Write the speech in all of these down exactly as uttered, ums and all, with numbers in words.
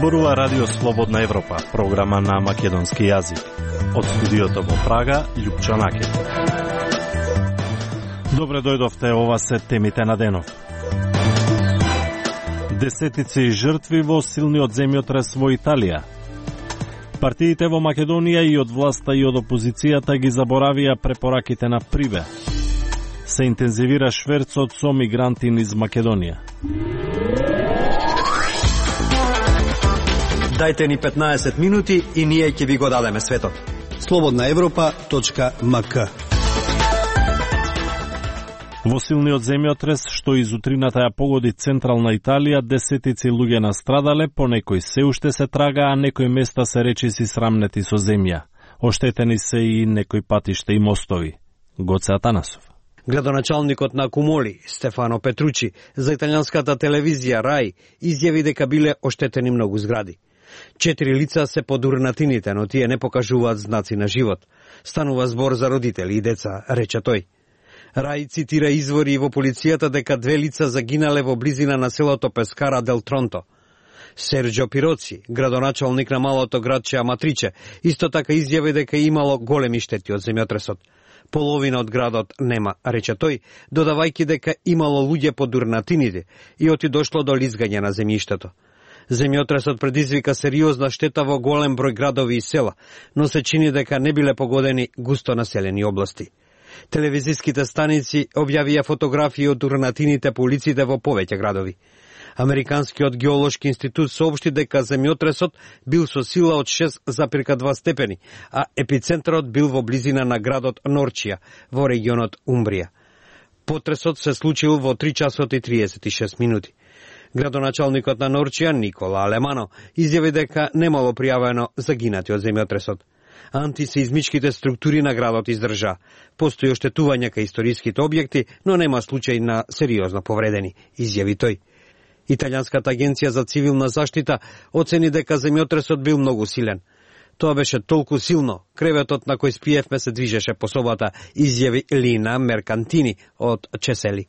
Зборува Радио Слободна Европа, програма на македонски јазик. Од студиото во Прага, Љупчо Накет. Добре дојдовте, ова се темите на денов. Десетици жртви во силниот земјотрес во Италија. Партиите во Македонија и од власта и од опозицијата ги заборавија препораките на Прибе. Се интензивира шверцот со мигранти низ Македонија. Дајте ни петнаесет минути и ние ќе ви го дадеме светот. слободна европа точка ем ка. Во силниот земјотрес, што изутрината ја погоди централна Италија, десетици луѓе настрадале, по некои се уште се трага, а некои места се речиси срамнети со земја. Оштетени се и некои патишта и мостови. Гоце Атанасов. Градоначалникот на Кумоли, Стефано Петручи, за италијанската телевизија Рај, изјави дека биле оштетени многу згради. Четири лица се под урнатините, но тие не покажуваат знаци на живот. Станува збор за родители и деца, рече тој. Рај цитира извори во полицијата дека две лица загинале во близина на селото Пескара дел Тронто. Серджо Пироци, градоначалник на малото градче Аматриче, исто така изјави дека имало големи штети од земјотресот. Половина од градот нема, рече тој, додавајќи дека имало луѓе под урнатините и оти дошло до лизгање на земјиштето. Земјотресот предизвика сериозна штета во голем број градови и села, но се чини дека не биле погодени густо населени области. Телевизиските станици објавија фотографии од урнатините по улиците во повеќе градови. Американскиот геолошки институт соопшти дека земјотресот бил со сила од шест запирка два степени, а епицентарот бил во близина на градот Норчија, во регионот Умбрија. Потресот се случил во три часот и триесет и шест минути. Градоначалникот на Норчија, Никола Алемано, изјави дека немало пријавено загинати од земјотресот. Антисеизмичките структури на градот издржа. Постои оштетување кај историските објекти, но нема случај на сериозно повредени, изјави тој. Италијанската агенција за цивилна заштита оцени дека земјотресот бил многу силен. Тоа беше толку силно, креветот на кој спиевме се движеше по собата, изјави Лина Меркантини од Чесели.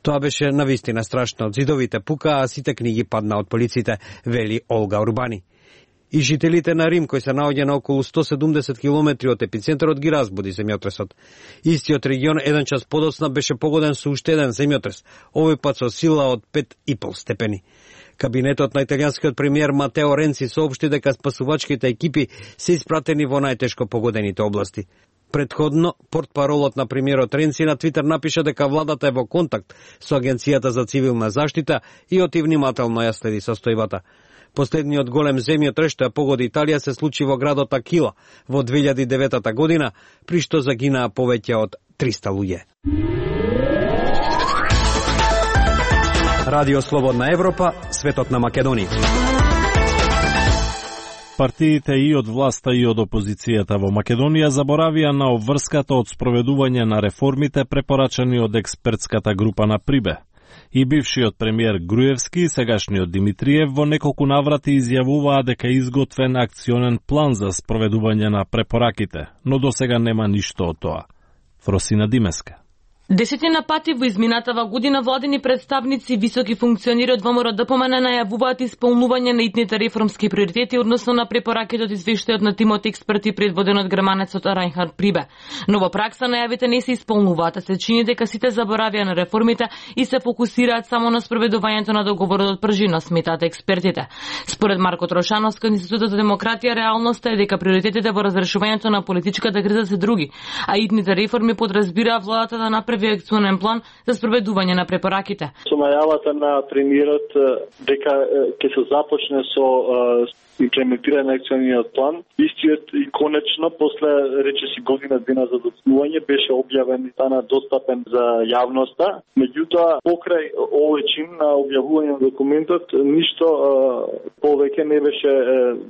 Тоа беше навистина страшно, зидовите пука, а сите книги падна од полиците, вели Олга Урбани. И жителите на Рим, кои се наоѓа на околу сто седумдесет километри од епицентарот, ги разбуди земјотресот. Истиот регион еден час подоцна беше погоден со уште еден земјотрес, овој пат со сила од пет и пол степени. Кабинетот на италијанскиот премиер Матео Ренци соопшти дека спасувачките екипи се испратени во најтешко погодените области. Предходно, портпаролот на премиерот Ренци на Твитер напиша дека владата е во контакт со Агенцијата за цивилна заштита и оти внимателно ја следи состојбата. Последниот голем земјотрес што ја погоди Италија се случи во градот Акила во две илјади и девета година, при што загинаа повеќе од триста луѓе. Радио Слободна Европа, светот на Македонија. Партиите и од власта и од опозицијата во Македонија заборавија на обврската од спроведување на реформите препорачани од експертската група на Прибе. И бившиот премиер Груевски и сегашниот Димитриев во неколку наврати изјавуваа дека е изготвен акционен план за спроведување на препораките, но досега нема ништо од тоа. Фросина Димеска. Десетина пати во изминатава година владени представници, високи функционери од ВМРО ДПМН најавуваат исполнување на итните реформски приоритети односно на препораките од извештајот на тимот експерти предводен од германецот Рајнхард Прибе. Но во пракса најавите не се исполнуваат, а се чини дека сите заборавија на реформите и се фокусираат само на спроведувањето на договорот од Пржина, сметаат експертите. Според Марко Трошановски од Институтот за демократија, реалноста е дека приоритетите во разрешувањето на политичката криза се други, а итните реформи подразбираа владата да направи акционен план за спроведување на препораките. Со најавата на премиерот дека ќе се започне со имплементирање на акциониот план, истиот и конечно после речиси година дена за доцнување беше објавен и стана достапен за јавноста. Меѓутоа, покрај овој чин на објавување на документот, ништо повеќе не беше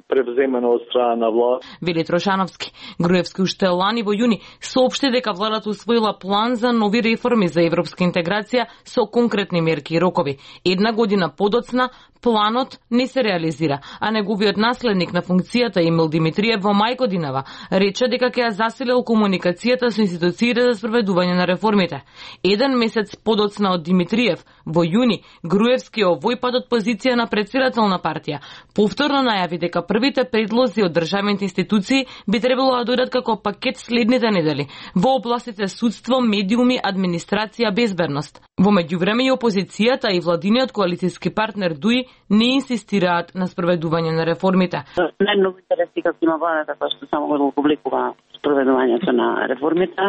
превземено од страна на власт. Вели Трошановски. Груевски уште лани во јуни соопшти дека владата усвоила план за нови реформи за европска интеграција со конкретни мерки и рокови. Една година подоцна, планот не се реализира, а неговиот наследник на функцијата Емил Димитриев во мај годинава рече дека ќе ја засилил комуникацијата со институциите за спроведување на реформите. Еден месец подоцна од Димитриев, во јуни, Груевски овој пат од позиција на претседател на партија повторно најави дека првите предлози од државните институции би требало да дојдат како пакет следните недели во областите судство, медиуми, администрација, безбедност. Во меѓувреме и опозицијата и владиниот коалицијски партнер ДУИ не инсистираат на спроведување на реформите. Најмногу интереси како има владата која што само го публикува спроведувањето на реформите,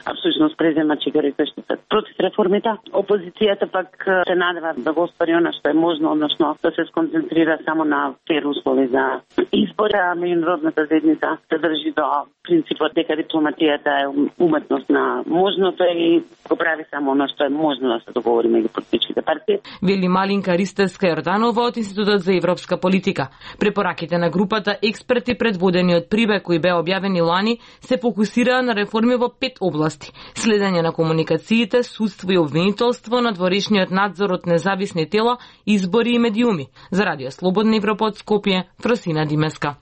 а всушност презема чигарите што се против реформите. Опозицијата пак се надева да го остvari она што е можно, односно да се сконцентрира само на фер услови за избори, а меѓународната заедница се држи до принципот дека дипломатијата е уметност на можното и го прави само она што е можно да се договори меѓу политичките партии. Вели Малинка Ристевска-Јорданова од Институтот за европска политика. Препораките на групата експерти предводени од Прибе кои беа објавени лани се фокусираа на реформи во пет области: следење на комуникациите, судство и обвинителство, надворешниот надзор од независни тела, избори и медиуми. За Радио Слободна Европа од Скопје, Фросина Димеска.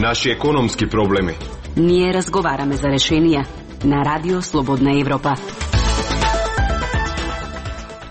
Наши економски проблеми. Ние разговараме за решенија на Радио Слободна Европа.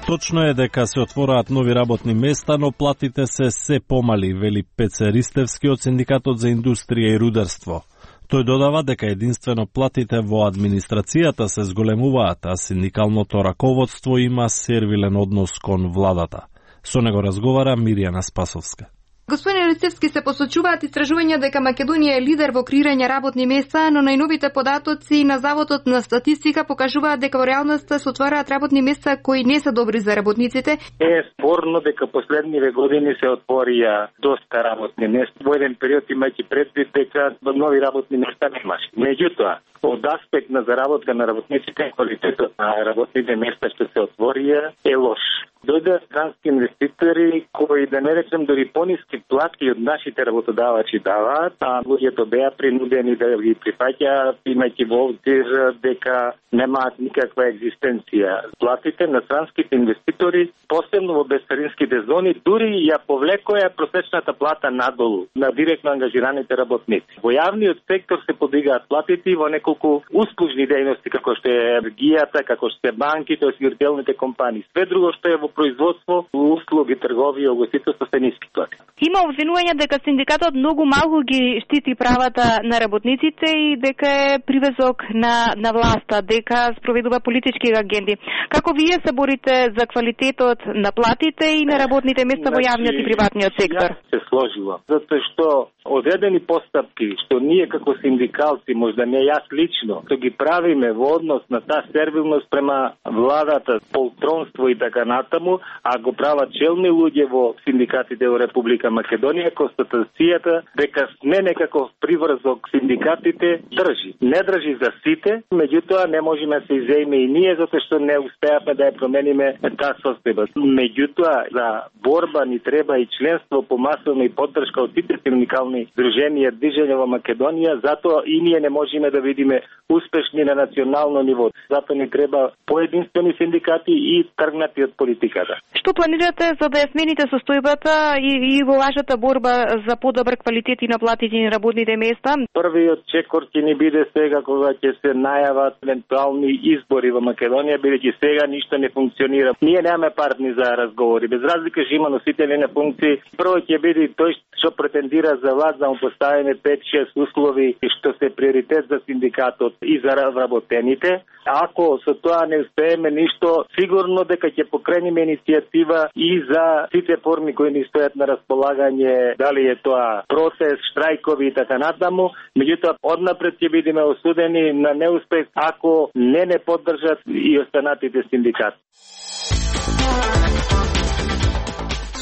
Точно е дека се отвораат нови работни места, но платите се се помали, вели Пеце Ристевски од Синдикатот за индустрија и рударство. Тој додава дека единствено платите во администрацијата се зголемуваат, а синдикалното раководство има сервилен однос кон владата. Со него разговара Мирјана Спасовска. Господин Ристевски, се посочуваат истражувања дека Македонија е лидер во креирање работни места, но најновите податоци на Заводот на статистика покажуваат дека во реалноста се отвораат работни места кои не се добри за работниците. Е спорно дека последниве години се отворија доста работни места. Во еден период имајќи предвид дека нови работни места немаше. Меѓутоа, од аспект на заработка на работниците, квалитетот на работните места што се отворија е лош. Дојдоа странски инвеститори кои, да не речем, дори пониски плати од нашите работодавачи даваат, а луѓето беа принудени да ги прифаќаат, имајќи во обзир дека немаат никаква екзистенција. Платите на странските инвеститори, посебно во безцаринските зони, дури ја повлекоја просечната плата надолу на директно ангажираните работници. Во јавниот сектор се подигаат платите во неколку услужни дејности, како што е енергијата, како што е банките, осигурителните компании. Све друго што е во производство, услуги, трговија, угостителство се ниски плати. Има обвинување дека синдикатот многу малку ги штити правата на работниците и дека е привезок на на власта, дека спроведува политички агенди. Како вие се борите за квалитетот на платите и на работните места во јавниот и приватниот сектор? Се сложило, затоа што одредени постапки што ние како синдикалци, можда не јас лично, што ги правиме во однос на таа сервилност према владата, полтронство и така натаму, а го прават челни луѓе во синдикатите во Република Македонија, констатацијата дека не некако приврзок синдикатите држи. Не држи за сите, меѓутоа не можеме да се изеиме и ние затоа што не успеавме да ја промениме таа состојба. Меѓутоа за борба ни треба и членство помасилна и поддршка од сите синдикални друженија движење во Македонија, затоа и ние не можеме да видиме успешни на национално ниво. Затоа ни треба поединствени синдикати и тргнати од политиката. Што планирате за да ја смените состојбата и, и во вашата борба за подобар квалитет и на платите и на работните места? Првиот чекор ќе ни биде сега кога ќе се најават евентуални избори во Македонија, бидејќи сега ништо не функционира. Ние немаме партни за разговори. Без разлика што има носители на функции, прво ќе биде тој што претендира за власт да му поставиме пет-шест услови што се приоритет за синдикатот и за вработените. Ако со тоа не успееме ништо, сигурно дека ќе покренеме иницијатива и за сите форми кои ни стојат на располагање, дали е тоа протест, штрајкови и така натаму. Меѓутоа, однапред ќе бидеме осудени на неуспех ако не не поддржат и останатите синдикати.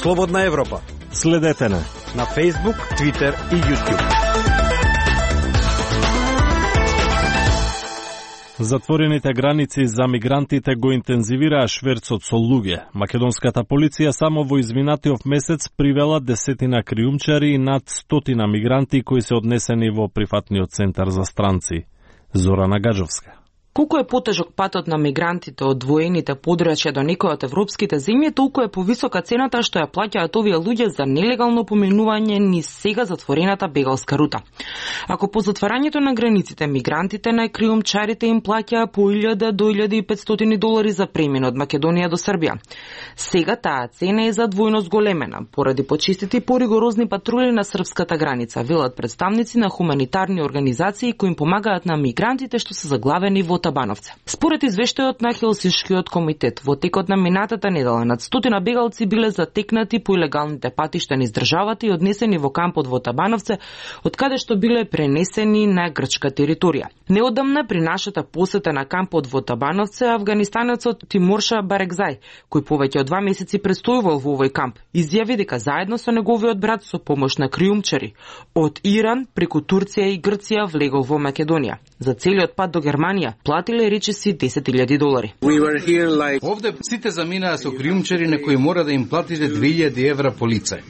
Слободна Европа. Следете на на Facebook, Twitter и YouTube. Затворените граници за мигрантите го интензивираа шверцот со луѓе. Македонската полиција само во изминатиот месец привела десетина криумчари и над стотина мигранти кои се однесени во прифатниот центар за странци. Зорана Гаджовска. Колку е потежок патот на мигрантите од воените подрачја до некои од европските земји, толку е повисока цената што ја плаќаат овие луѓе за нелегално поминување низ сега затворената бегалска рута. Ако по затварањето на границите мигрантите на криумчарите им плаќаа по илјада до илјада и петстотини долари за премин од Македонија до Србија, сега таа цена е за двојно зголемена поради почистите и поригорозни патрули на српската граница, велат представници на хуманитарни организации кои им помагаат на мигрантите што се заглавени во Табановце. Според извештајот на Хелсиншкиот комитет, во текот на минатата недела над стотина бегалци биле затекнати по илегалните патишта низ државата и однесени во кампот во Табановце, од каде што биле пренесени на грчка територија. Неодамна при нашата посета на кампот во Табановце, афганистанецот Тимурша Барекзај, кој повеќе од два месеци престојувал во овој камп, изјави дека заедно со неговиот брат со помош на криумчари од Иран преку Турција и Грција влегол во Македонија. За целиот пат до Германија платиле речиси десет илјади долари. Like... Овде сите заминаа со криумчари на кои мора да им платите две илјади евра по лице.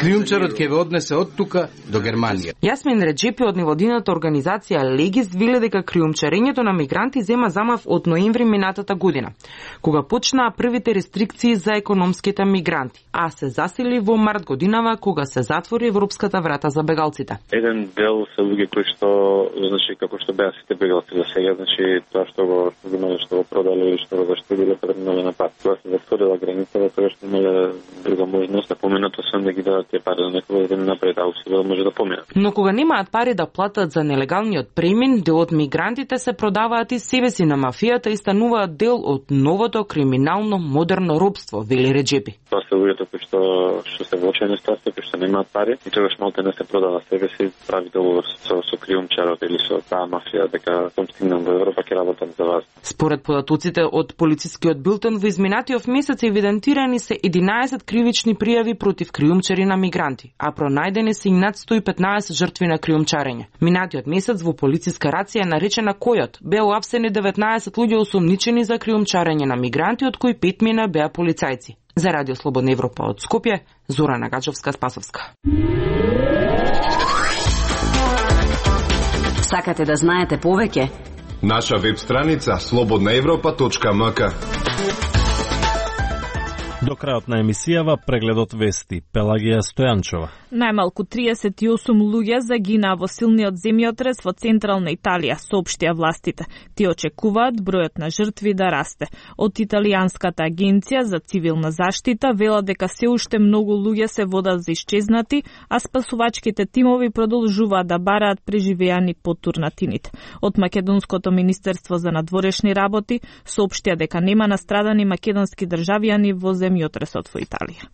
Криумчарот ќе ве однесе од тука до Германија. Јасмин Реджепи од невладината организација Легис вели дека криумчарењето на мигранти зема замав од ноември минатата година, кога почнаа првите рестрикции за економските мигранти, а се засили во март годинава кога се затвори европската врата за бегалците. Еден дел се луѓе кои што, значи, како што беа сите бегалци за сега, значи тоа што го имале, што го продале или што го заштедиле, преминале на пат. Кога се затворила границата, тоа што имале друга можност да поминато сам да ги дадат тие пари за некој да напред, а усилено да може да поминат. Но кога немаат пари да платат за нелегалниот премин, дел од мигрантите се продаваат и себе си на мафијата и стануваат дел од новото криминално модерно робство, вели Реджепи. Тоа се луѓето кои што што се во очајна ситуација, кои што немаат пари и тогаш малку не се продава себе си, прави договор со со криумчарот или со таа мафија дека кога стигнам во Европа ќе работам за вас. Според податоците од полицискиот билтен во изминатиот месец евидентирани се единаесет кривични пријави против криумчари на мигранти, а пронајдени се и над сто и петнаесет жртви на криумчарење. Минатиот месец во полициска рација наречена Којот беа уапсени деветнаесет луѓе осомничени за криумчарење на мигранти, од кои петмина беа полицајци. За Радио Слободна Европа од Скопје, Зорана Гаџовска-Спасовска. Сакате да знаете повеќе? Наша веб страница слободна европа точка ем ка. До крајот на емисијава прегледот вести Пелагија Стојанчова. Најмалку триесет и осум луѓе загинаа во силниот земјотрес во централна Италија, соопштија властите. Тие очекуваат бројот на жртви да расте. Од Италијанската агенција за цивилна заштита велат дека се уште многу луѓе се водат за исчезнати, а спасувачките тимови продолжуваат да бараат преживеани под турнатините. Од Македонското министерство за надворешни работи соопштија дека нема настрадани македонски државјани во земјотресот во Италија.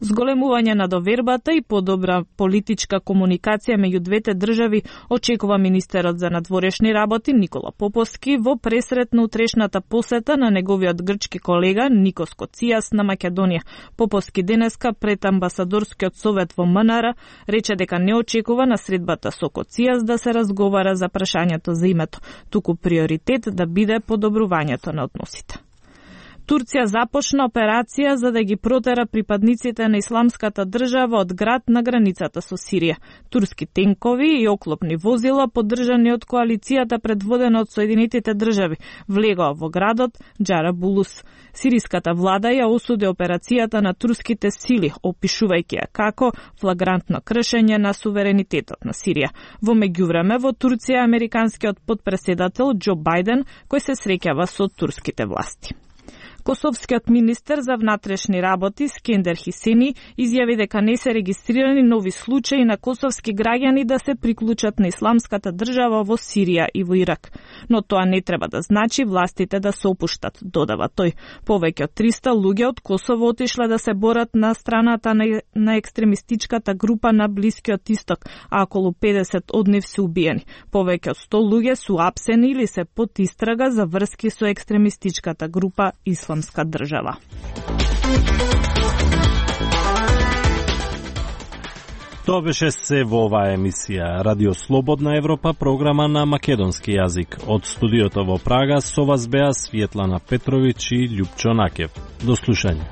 Зголемување на довербата и подобра политичка комуникација меѓу двете држави очекува министерот за надворешни работи Никола Поповски во пресретна утрешната посета на неговиот грчки колега Никос Коцијас на Македонија. Поповски денеска пред амбасадорскиот совет во М Н Р рече дека не очекува на средбата со Коцијас да се разговара за прашањето за името, туку приоритет да биде подобрувањето на односите. Турција започна операција за да ги протера припадниците на исламската држава од град на границата со Сирија. Турски тенкови и оклопни возила, поддржани од коалицијата предводена од Соединетите држави, влегоа во градот Џарабулус. Сириската влада ја осуди операцијата на турските сили, опишувајќи ја како флагрантно кршење на суверенитетот на Сирија. Во меѓувреме во Турција американскиот потпредседател Џо Бајден, кој се среќава со турските власти. Косовскиот министер за внатрешни работи Скендер Хисени изјави дека не се регистрирани нови случаи на косовски граѓани да се приклучат на исламската држава во Сирија и во Ирак. Но тоа не треба да значи властите да се опуштат, додава тој. Повеќе од триста луѓе од Косово отишле да се борат на страната на, на екстремистичката група на Блискиот Исток, а околу педесет од нив се убиени. Повеќе од сто луѓе се апсени или се под истрага за врски со екстремистичката група Исламска држава. Тоа беше се во оваа емисија Радио Слободна Европа, програма на македонски јазик. Од студиото во Прага со вас беа Светлана Петровиќ и Љупчо Накев. До слушање.